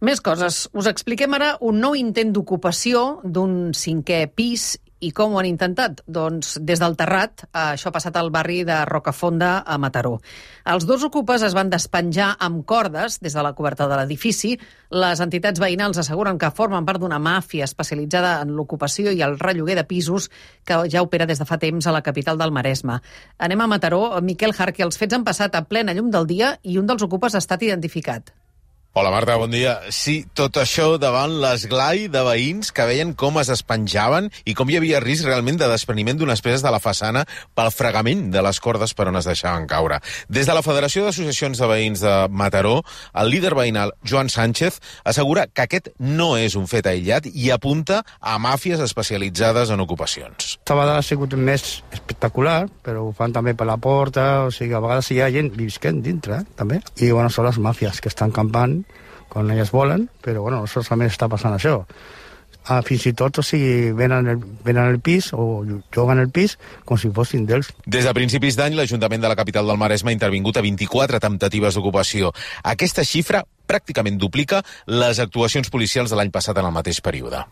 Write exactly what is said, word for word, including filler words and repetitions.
Més coses. Us expliquem ara un nou intent d'ocupació d'un cinquè pis. I com ho han intentat? Doncs des del terrat. Això ha passat al barri de Rocafonda, a Mataró. Els dos ocupes es van despenjar amb cordes des de la coberta de l'edifici. Les entitats veïnals asseguren que formen part d'una màfia especialitzada en l'ocupació i el relloguer de pisos que ja opera des de fa temps a la capital del Maresme. Anem a Mataró. Miquel Jarque, els fets han passat a plena llum del dia i un dels ocupes ha estat identificat. Hola, Marta, bon dia. Sí, tot això davant l'esglai de veïns que veien com es despenjaven i com hi havia risc realment de despreniment d'unes peces de la façana pel fregament de les cordes per on es deixaven caure. Des de la Federació d'Associacions de Veïns de Mataró, el líder veïnal Joan Sánchez assegura que aquest no és un fet aïllat i apunta a màfies especialitzades en ocupacions. Aquesta vegada ha sigut més espectacular, però ho fan també per la porta, o sigui, a vegades hi ha gent visquent dintre, eh, també. I, bueno, són les màfies que estan campant quan elles volen, però bueno, no solament està passant això. Ah, fins i tot, o sigui, venen el, venen el pis o juguen el pis com si fossin d'ells. Des de principis d'any, l'Ajuntament de la capital del Maresme ha intervingut a vint-i-quatre temptatives d'ocupació. Aquesta xifra pràcticament duplica les actuacions policials de l'any passat en el mateix període.